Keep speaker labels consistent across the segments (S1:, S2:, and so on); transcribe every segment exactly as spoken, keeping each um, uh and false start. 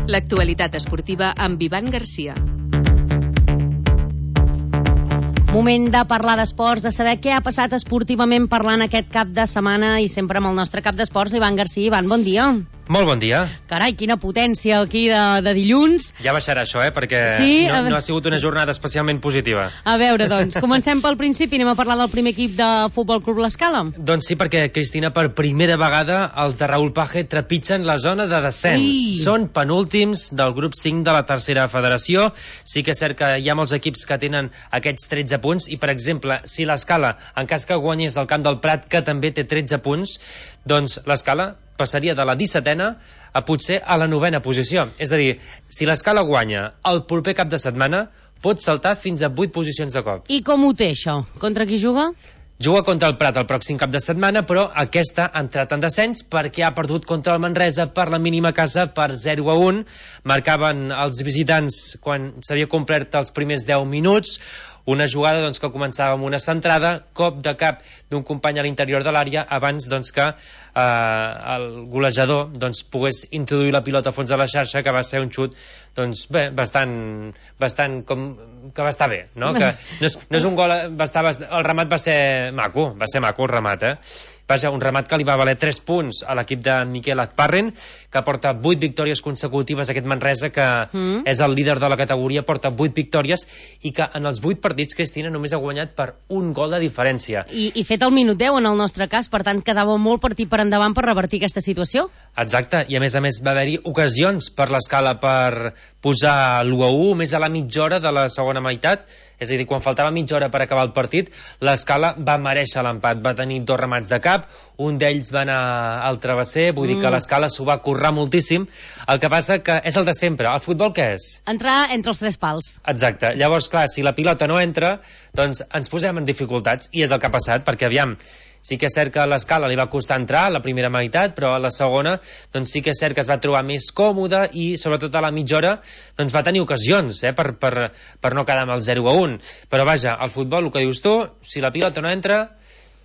S1: L'actualitat esportiva amb Ivan Garcia.
S2: Moment de parlar d'esports, de saber què ha passat esportivament parlant aquest cap de setmana i sempre amb el nostre cap d'esports, Ivan Garcia. Ivan, bon dia.
S3: Molt bon dia.
S2: Carai, quina potència aquí de, de dilluns.
S3: Ja baixarà això, eh, perquè
S2: sí,
S3: no, no ha sigut una jornada especialment positiva.
S2: A veure, doncs, comencem pel principi, anem a parlar del primer equip de Futbol Club L'Escala.
S3: Doncs sí, perquè, Cristina, per primera vegada els de Raúl Page trepitgen la zona de descens.
S2: Ui.
S3: Són penúltims del grup cinc de la tercera federació. Sí que és cert que hi ha molts equips que tenen aquests tretze punts i, per exemple, si l'Escala, en cas que guanyés el Camp del Prat, que també té tretze punts, doncs l'Escala passaria de la dissetena a potser a la novena posició. És a dir, si l'Escala guanya el proper cap de setmana, pot saltar fins a vuit posicions de cop.
S2: I com ho té, això? Contra qui juga?
S3: Juga contra el Prat el pròxim cap de setmana, però aquesta ha entrat en descens perquè ha perdut contra el Manresa per la mínima casa per zero a un. Marcaven els visitants quan s'havia complert els primers deu minuts. Una jugada doncs, que començava amb una centrada, cop de cap d'un company a l'interior de l'àrea abans doncs, que eh, el golejador doncs, pogués introduir la pilota a fons de la xarxa, que va ser un xut doncs, bé, bastant, bastant com, que va estar bé, no? Que no, és, no és un gol, va estar, el remat va ser maco, va ser maco el remat, eh? Vaja, un remat que li va valer tres punts a l'equip de Miquel Azparren, que porta vuit victòries consecutives, aquest Manresa, que mm. és el líder de la categoria, porta vuit victòries, i que en els vuit partits, Cristina, només ha guanyat per un gol de diferència.
S2: I, i fet el minut deu, en el nostre cas, per tant, quedava molt partit per endavant per revertir aquesta situació.
S3: Exacte, i a més a més va haver-hi ocasions per l'Escala per posar l'u a u, més a la mitja hora de la segona meitat, és a dir, quan faltava mitja hora per acabar el partit, l'Escala va merèixer l'empat, va tenir dos remats de cap, un d'ells va anar al travesser, vull mm. dir que l'Escala s'ho va currar moltíssim. El que passa que és el de sempre. El futbol què és?
S2: Entrar entre els tres pals.
S3: Exacte. Llavors, clar, si la pilota no entra, doncs ens posem en dificultats, i és el que ha passat, perquè aviam, sí que és cert que a l'Escala li va costar entrar la primera meitat, però a la segona doncs sí que és cert que es va trobar més còmode i sobretot a la mitja hora doncs va tenir ocasions eh, per, per, per no quedar amb el zero a un. Però vaja, al futbol, el que dius tu, si la pilota no entra,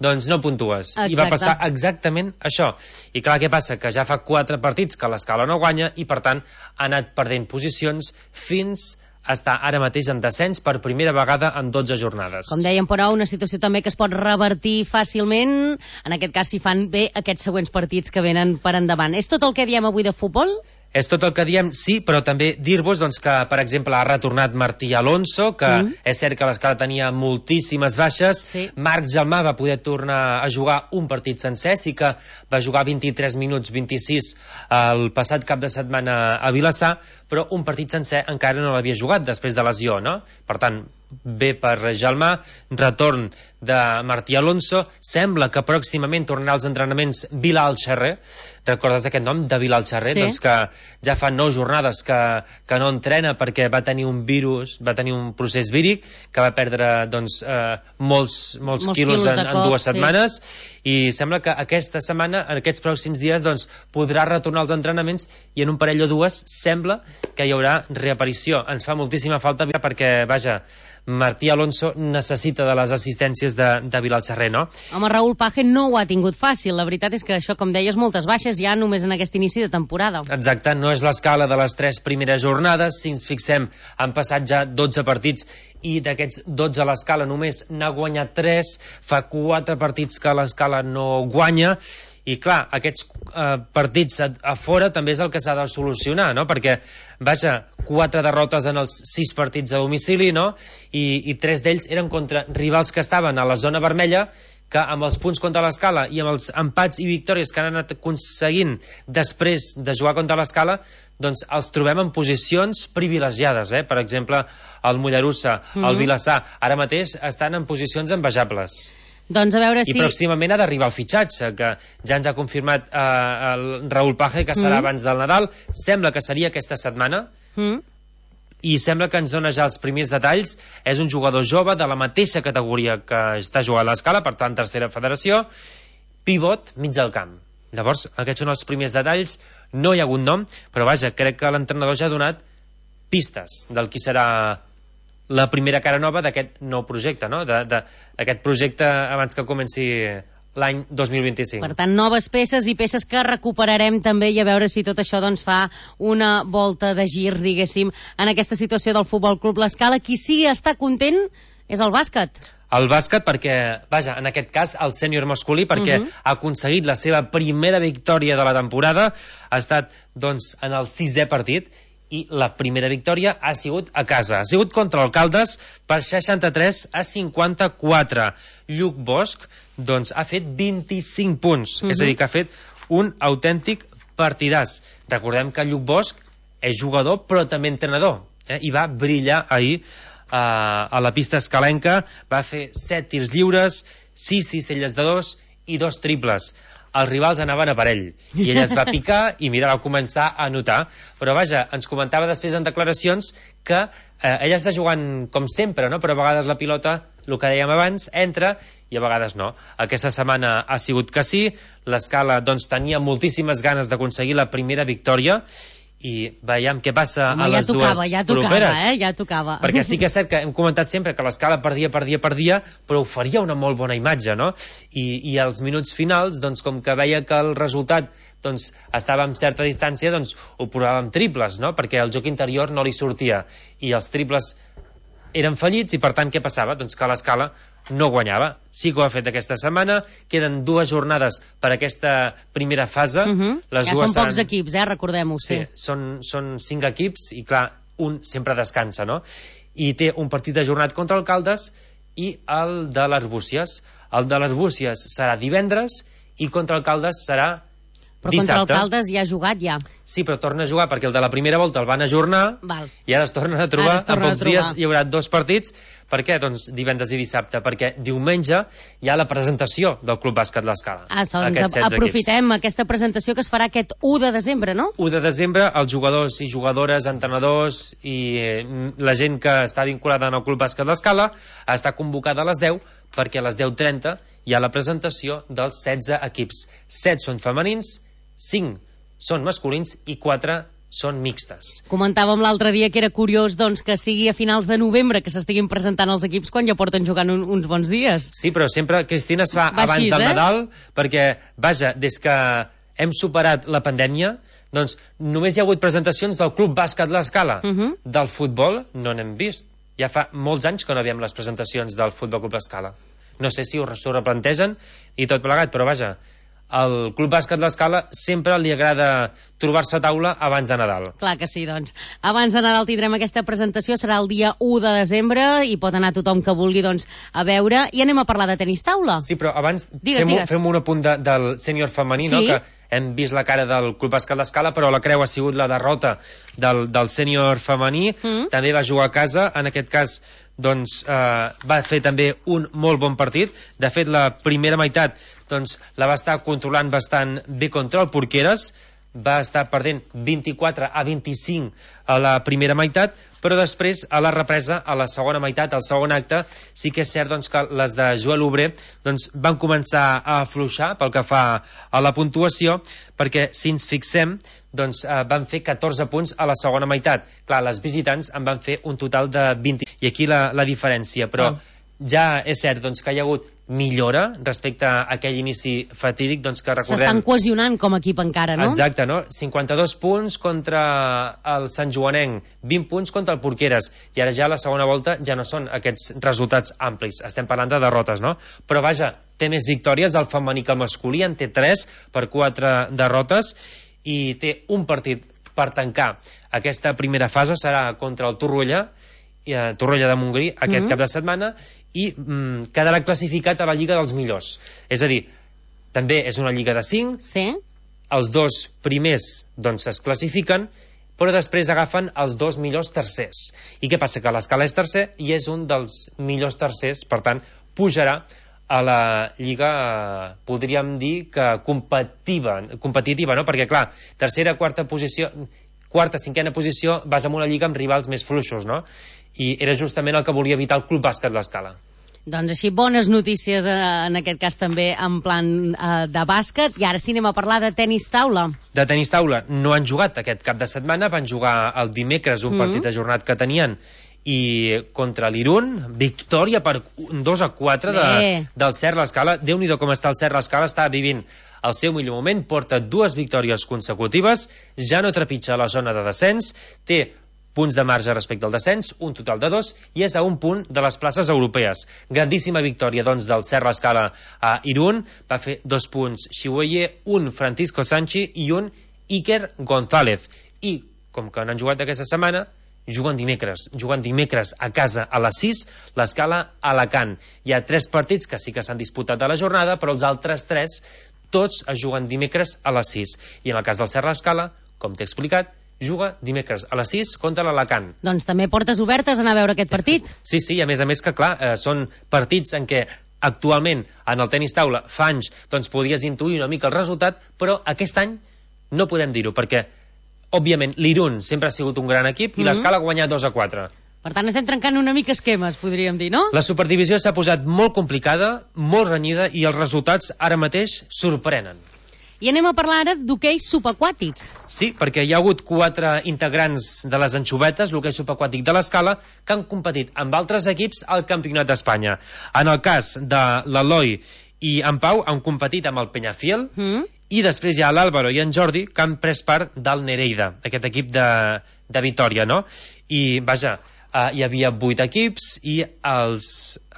S3: doncs no puntues.
S2: Exacte.
S3: I va passar exactament això. I clar, què passa? Que ja fa quatre partits que l'Escala no guanya i per tant ha anat perdent posicions fins està ara mateix en descens per primera vegada en dotze jornades.
S2: Com dèiem, però, una situació també que es pot revertir fàcilment, en aquest cas si fan bé aquests següents partits que venen per endavant. És tot el que diem avui de futbol?
S3: És tot el que diem, sí, però també dir-vos doncs, que, per exemple, ha retornat Martí Alonso, que mm. és cert que l'Escala tenia moltíssimes baixes. Sí. Marc Gelmà va poder tornar a jugar un partit sencer, sí que va jugar vint-i-tres minuts, vint-i-sis el passat cap de setmana a Vilassar, però un partit sencer encara no l'havia jugat després de lesió, no? Per tant, bé per Gelmà, retorn de Martí Alonso, sembla que pròximament tornarà als entrenaments Bilal Xerrer. Recordes aquest nom de Bilal Xerrer? Sí. Doncs que ja fa nou jornades que, que no entrena perquè va tenir un virus, va tenir un procés víric, que va perdre doncs, eh, molts, molts, molts quilos, quilos en, cop, en dues setmanes, sí. I sembla que aquesta setmana, en aquests pròxims dies, doncs, podrà retornar als entrenaments i en un parell o dues sembla que hi haurà reaparició. Ens fa moltíssima falta perquè, vaja, Martí Alonso necessita de les assistències de, de Bilal Xerrer, no?
S2: Home, Raúl Page no ho ha tingut fàcil. La veritat és que això, com deies, moltes baixes ja només en aquest inici de temporada.
S3: Exacte, no és l'Escala de les tres primeres jornades. Si ens fixem, han passat ja dotze partits i d'aquests dotze l'Escala només n'ha guanyat tres. Fa quatre partits que l'Escala no guanya. I clar, aquests eh, partits a, a fora també és el que s'ha de solucionar, no? Perquè, vaja, quatre derrotes en els sis partits a domicili, no? I, i tres d'ells eren contra rivals que estaven a la zona vermella, que amb els punts contra l'Escala i amb els empats i victòries que han anat aconseguint després de jugar contra l'Escala, doncs els trobem en posicions privilegiades, eh? Per exemple, el Mollerussa, mm-hmm. el Vilassar, ara mateix estan en posicions envejables.
S2: Doncs a veure si...
S3: I pròximament ha d'arribar el fitxatge, que ja ens ha confirmat eh, el Raúl Page, que serà mm. abans del Nadal. Sembla que seria aquesta setmana, mm. i sembla que ens dona ja els primers detalls. És un jugador jove de la mateixa categoria que està jugant a l'Escala, per tant, tercera federació, pivot, mig del camp. Llavors, aquests són els primers detalls. No hi ha hagut nom, però vaja, crec que l'entrenador ja ha donat pistes del qui serà la primera cara nova d'aquest nou projecte, no? D'aquest projecte abans que comenci l'any dos mil vint-i-cinc.
S2: Per tant, noves peces i peces que recuperarem també, i a veure si tot això doncs, fa una volta de gir, diguéssim, en aquesta situació del Futbol Club L'Escala. Qui sí està content és el bàsquet.
S3: El bàsquet perquè, vaja, en aquest cas el sènior masculí, perquè uh -huh. ha aconseguit la seva primera victòria de la temporada, ha estat doncs en el sisè partit, i la primera victòria ha sigut a casa. Ha sigut contra el Caldes per seixanta-tres a cinquanta-quatre. Lluc Bosch doncs, ha fet vint-i-cinc punts, uh-huh. és a dir, que ha fet un autèntic partidàs. Recordem que Lluc Bosch és jugador però també entrenador, eh? I va brillar ahir uh, a la pista escalenca, va fer set tirs lliures, sis cistelles de dos i dos triples. Els rivals anaven a per ell, i ell es va picar i mira, va començar a anotar. Però vaja, ens comentava després en declaracions que eh, ella està jugant com sempre, no? Però a vegades la pilota, el que dèiem abans, entra i a vegades no. Aquesta setmana ha sigut que sí. L'Escala doncs tenia moltíssimes ganes d'aconseguir la primera victòria, i veiem què passa
S2: Home,
S3: a les
S2: ja tocava,
S3: dues
S2: ja tocava,
S3: properes.
S2: Eh? Ja tocava.
S3: Perquè sí que és cert que hem comentat sempre que l'Escala perdia, perdia, perdia, però oferia una molt bona imatge, no? I, i als minuts finals, doncs, com que veia que el resultat doncs, estava amb certa distància, doncs ho provava amb triples, no? Perquè el joc interior no li sortia, i els triples eren fallits, i per tant què passava? Doncs que l'Escala no guanyava. Sí que ho ha fet aquesta setmana, queden dues jornades per aquesta primera fase.
S2: Uh -huh.
S3: Les
S2: ja
S3: dues
S2: són pocs
S3: seran...
S2: equips, eh? Recordem-ho.
S3: Sí, sí. Són, són cinc equips, i clar, un sempre descansa, no? I té un partit ajornat contra el Caldes i el de l'Arbúcies. El de l'Arbúcies serà divendres i contra el Caldes serà
S2: Però
S3: dissabte.
S2: contra el Caldes ja ha jugat, ja.
S3: Sí, però torna a jugar perquè el de la primera volta el van ajornar.
S2: Val.
S3: I ara es tornen a trobar.
S2: es tornen
S3: En pocs
S2: a trobar.
S3: dies hi haurà dos partits. Per què? Doncs divendres i dissabte. Perquè diumenge hi ha la presentació del Club Bàsquet L'Escala.
S2: Ah, doncs aprofitem equips. Aquesta presentació que es farà aquest u de desembre, no?
S3: u de desembre, els jugadors i jugadores, entrenadors i eh, la gent que està vinculada en el Club Bàsquet L'Escala està convocada a les deu, perquè a les deu trenta hi ha la presentació dels setze equips. set són femenins, cinc són masculins i quatre són mixtes.
S2: Comentàvem l'altre dia que era curiós doncs, que sigui a finals de novembre que s'estiguin presentant els equips quan ja porten jugant un, uns bons dies.
S3: Sí, però sempre, Cristina, es fa
S2: Va
S3: abans
S2: així,
S3: del
S2: eh?
S3: Nadal, perquè, vaja, des que hem superat la pandèmia, doncs només hi ha hagut presentacions del Club Bàsquet L'Escala.
S2: Uh -huh.
S3: Del futbol no n'hem vist. Ja fa molts anys que no veiem les presentacions del Futbol Club L'Escala. No sé si s'ho replantegen i tot plegat, però vaja, al Club Bàsquet L'Escala sempre li agrada trobar-se a taula abans de Nadal.
S2: Clar que sí, doncs. Abans de Nadal tindrem aquesta presentació, serà el dia u de desembre, i pot anar tothom que vulgui doncs, a veure. I anem a parlar de tenis taula.
S3: Sí, però abans
S2: digues,
S3: fem,
S2: digues.
S3: fem un apunt de, del sènior femení,
S2: sí?
S3: no? Que hem vist la cara del Club Bàsquet L'Escala, però la creu ha sigut la derrota del, del sènior femení. Mm. També va jugar a casa, en aquest cas doncs, eh, va fer també un molt bon partit. De fet, la primera meitat doncs, la va estar controlant bastant bé contra el Porqueres, va estar perdent vint-i-quatre a vint-i-cinc a la primera meitat, però després, a la represa, a la segona meitat, al segon acte, sí que és cert doncs, que les de Joel Obrer doncs, van començar a afluixar pel que fa a la puntuació, perquè si ens fixem doncs, eh, van fer catorze punts a la segona meitat. Clar, les visitants en van fer un total de vint, i aquí la, la diferència, però oh. ja és cert doncs, que hi ha hagut millora respecte a aquell inici fatídic doncs, que recordem...
S2: S'estan cohesionant com a equip encara, no?
S3: Exacte, no? cinquanta-dos punts contra el Sant Joanenc, vint punts contra el Porqueres, i ara ja a la segona volta ja no són aquests resultats amplis, estem parlant de derrotes, no? Però vaja, té més victòries el femení que el masculí, en té tres per quatre derrotes, i té un partit per tancar aquesta primera fase, serà contra el Torroella, eh, Torroella de Montgrí, aquest mm-hmm. cap de setmana, i mm, quedarà classificat a la Lliga dels Millors. És a dir, també és una Lliga de cinc,
S2: sí.
S3: Els dos primers doncs, es classifiquen, però després agafen els dos millors tercers. I què passa? Que l'Escala és tercer i és un dels millors tercers, per tant, pujarà a la Lliga, podríem dir que competitiva, competitiva, no? Perquè, clar, tercera, quarta posició, quarta, cinquena posició, vas en una lliga amb rivals més fluixos, no? I era justament el que volia evitar el Club Bàsquet L'Escala.
S2: Doncs així, bones notícies eh, en aquest cas també en plan eh, de bàsquet. I ara sí anem a parlar de tenis taula.
S3: De tenis taula no han jugat aquest cap de setmana, van jugar el dimecres un mm-hmm. partit ajornat que tenien, i contra l'Irun, victòria per dos a quatre de, del Cert l'Escala. Déu-n'hi-do com està el Cert l'Escala, està vivint el seu millor moment, porta dues victòries consecutives, ja no trepitja la zona de descens, té punts de marge respecte al descens, un total de dos, i és a un punt de les places europees. Grandíssima victòria, doncs, del Cert l'Escala a Irún. Va fer dos punts Xiueye, un Francisco Sanchi i un Iker González. I, com que n'han jugat aquesta setmana, juguen dimecres, juguen dimecres a casa a les sis, l'Escala a Alacant. Hi ha tres partits que sí que s'han disputat a la jornada, però els altres tres tots es juguen dimecres a les sis. I en el cas del Cert l'Escala, com t'he explicat, juga dimecres a les sis contra l'Alacant.
S2: Doncs també portes obertes a anar a veure aquest partit.
S3: Sí, sí, a més a més que, clar, eh, són partits en què actualment en el tenis taula fa anys doncs podies intuir una mica el resultat, però aquest any no podem dir-ho, perquè òbviament l'Irun sempre ha sigut un gran equip i mm-hmm. l'Escala ha guanyat dos a quatre.
S2: Per tant, estem trencant una mica esquemes, podríem dir, no?
S3: La superdivisió s'ha posat molt complicada, molt renyida, i els resultats ara mateix sorprenen.
S2: I anem a parlar ara d'hoquei subaquàtic.
S3: Sí, perquè hi ha hagut quatre integrants de les anxovetes, l'hoquei subaquàtic de l'Escala, que han competit amb altres equips al Campionat d'Espanya. En el cas de l'Eloi i en Pau han competit amb el Peñafiel, mm. i després hi ha l'Àlvaro i en Jordi, que han pres part del Nereida, aquest equip de, de Vitòria, no? I, vaja, uh, hi havia vuit equips i els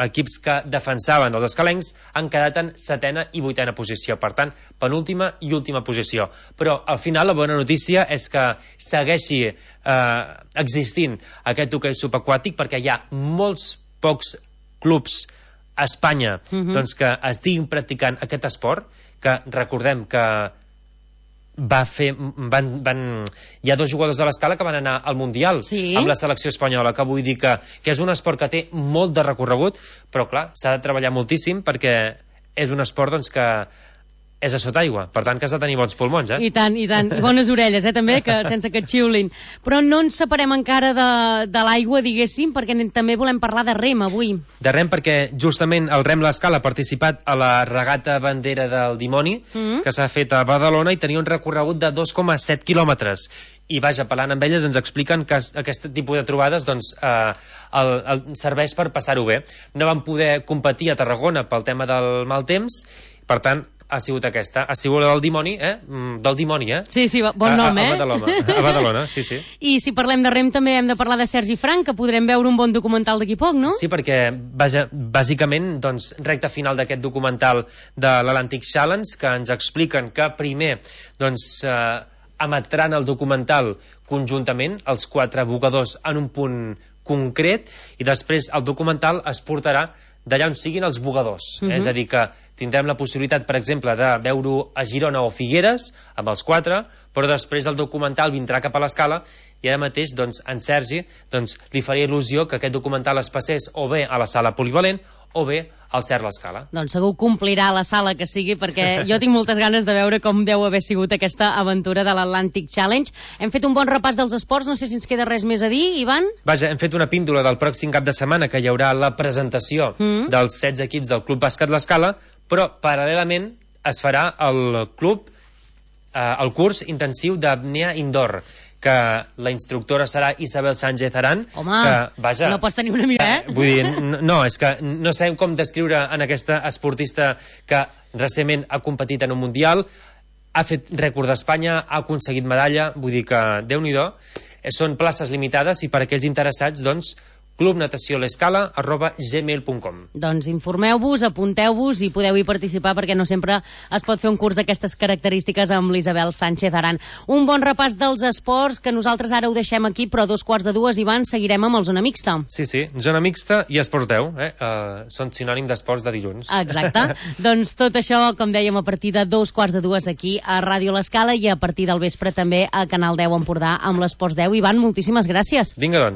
S3: equips que defensaven els escalencs han quedat en setena i vuitena posició, per tant, penúltima i última posició. Però al final la bona notícia és que segueixi uh, existint aquest hoquei subaquàtic, perquè hi ha molts pocs clubs a Espanya mm-hmm. doncs, que estiguin practicant aquest esport, que recordem que va fer, van, van, hi ha dos jugadors de l'Escala que van anar al Mundial
S2: sí.
S3: amb la selecció espanyola, que vull dir que, que és un esport que té molt de recorregut, però clar, s'ha de treballar moltíssim perquè és un esport doncs, que és a sota aigua, per tant que has de tenir bons pulmons, eh?
S2: I tant, i tant, i bones orelles, eh, també, que sense que et xiulin. Però no ens separem encara de, de l'aigua, diguéssim, perquè també volem parlar de rem avui.
S3: De rem perquè justament el Rem l'Escala ha participat a la regata bandera del dimoni, mm-hmm. que s'ha fet a Badalona i tenia un recorregut de dos coma set quilòmetres. I vaja, parlant amb elles ens expliquen que aquest tipus de trobades doncs, eh, el, el serveix per passar-ho bé. No van poder competir a Tarragona pel tema del mal temps, per tant ha sigut aquesta, ha sigut del dimoni, eh? Del dimoni, eh?
S2: Sí, sí, bon nom,
S3: a, a,
S2: eh?
S3: A Badalona, a Badalona, sí, sí.
S2: I si parlem de rem també hem de parlar de Sergi Frank, que podrem veure un bon documental d'aquí poc, no?
S3: Sí, perquè, vaja, bàsicament, doncs, recta final d'aquest documental de l'Atlantic Challenge, que ens expliquen que primer, doncs, eh, emetran el documental conjuntament, els quatre bugadors en un punt concret, i després el documental es portarà d'allà on siguin els bugadors. Mm-hmm. És a dir, que tindrem la possibilitat, per exemple, de veure-ho a Girona o Figueres, amb els quatre, però després el documental vindrà cap a l'Escala, i ara mateix, doncs, en Sergi, doncs, li faria il·lusió que aquest documental es passés o bé a la sala polivalent o bé al Cert l'Escala.
S2: Doncs segur complirà la sala que sigui, perquè jo tinc moltes ganes de veure com deu haver sigut aquesta aventura de l'Atlantic Challenge. Hem fet un bon repàs dels esports, no sé si ens queda res més a dir, Ivan?
S3: Vaja, hem fet una píndola del pròxim cap de setmana, que hi haurà la presentació mm. dels setze equips del Club Bàsquet l'Escala, però paral·lelament es farà el club, eh, el curs intensiu d'apnea indoor, que la instructora serà Isabel Sánchez Arán.
S2: Home,
S3: que, vaja,
S2: no pots tenir una mica, eh?
S3: Vull dir, no, és que no sabem com descriure en aquesta esportista que recentment ha competit en un mundial, ha fet rècord d'Espanya, ha aconseguit medalla, vull dir que, Déu-n'hi-do, són places limitades i per aquells interessats, doncs, clubnataciolescala arroba gmail punt com.
S2: Doncs informeu-vos, apunteu-vos i podeu-hi participar, perquè no sempre es pot fer un curs d'aquestes característiques amb l'Isabel Sánchez Arán. Un bon repàs dels esports, que nosaltres ara ho deixem aquí, però a dos quarts de dues, Ivan, seguirem amb el Zona Mixta.
S3: Sí, sí, Zona Mixta i Esports deu, eh? Uh, són sinònim d'esports de dilluns.
S2: Exacte. Doncs tot això, com dèiem, a partir de dos quarts de dues aquí a Ràdio l'Escala i a partir del vespre també a Canal deu Empordà amb l'Esports deu. Ivan, moltíssimes gràcies.
S3: Vinga, doncs.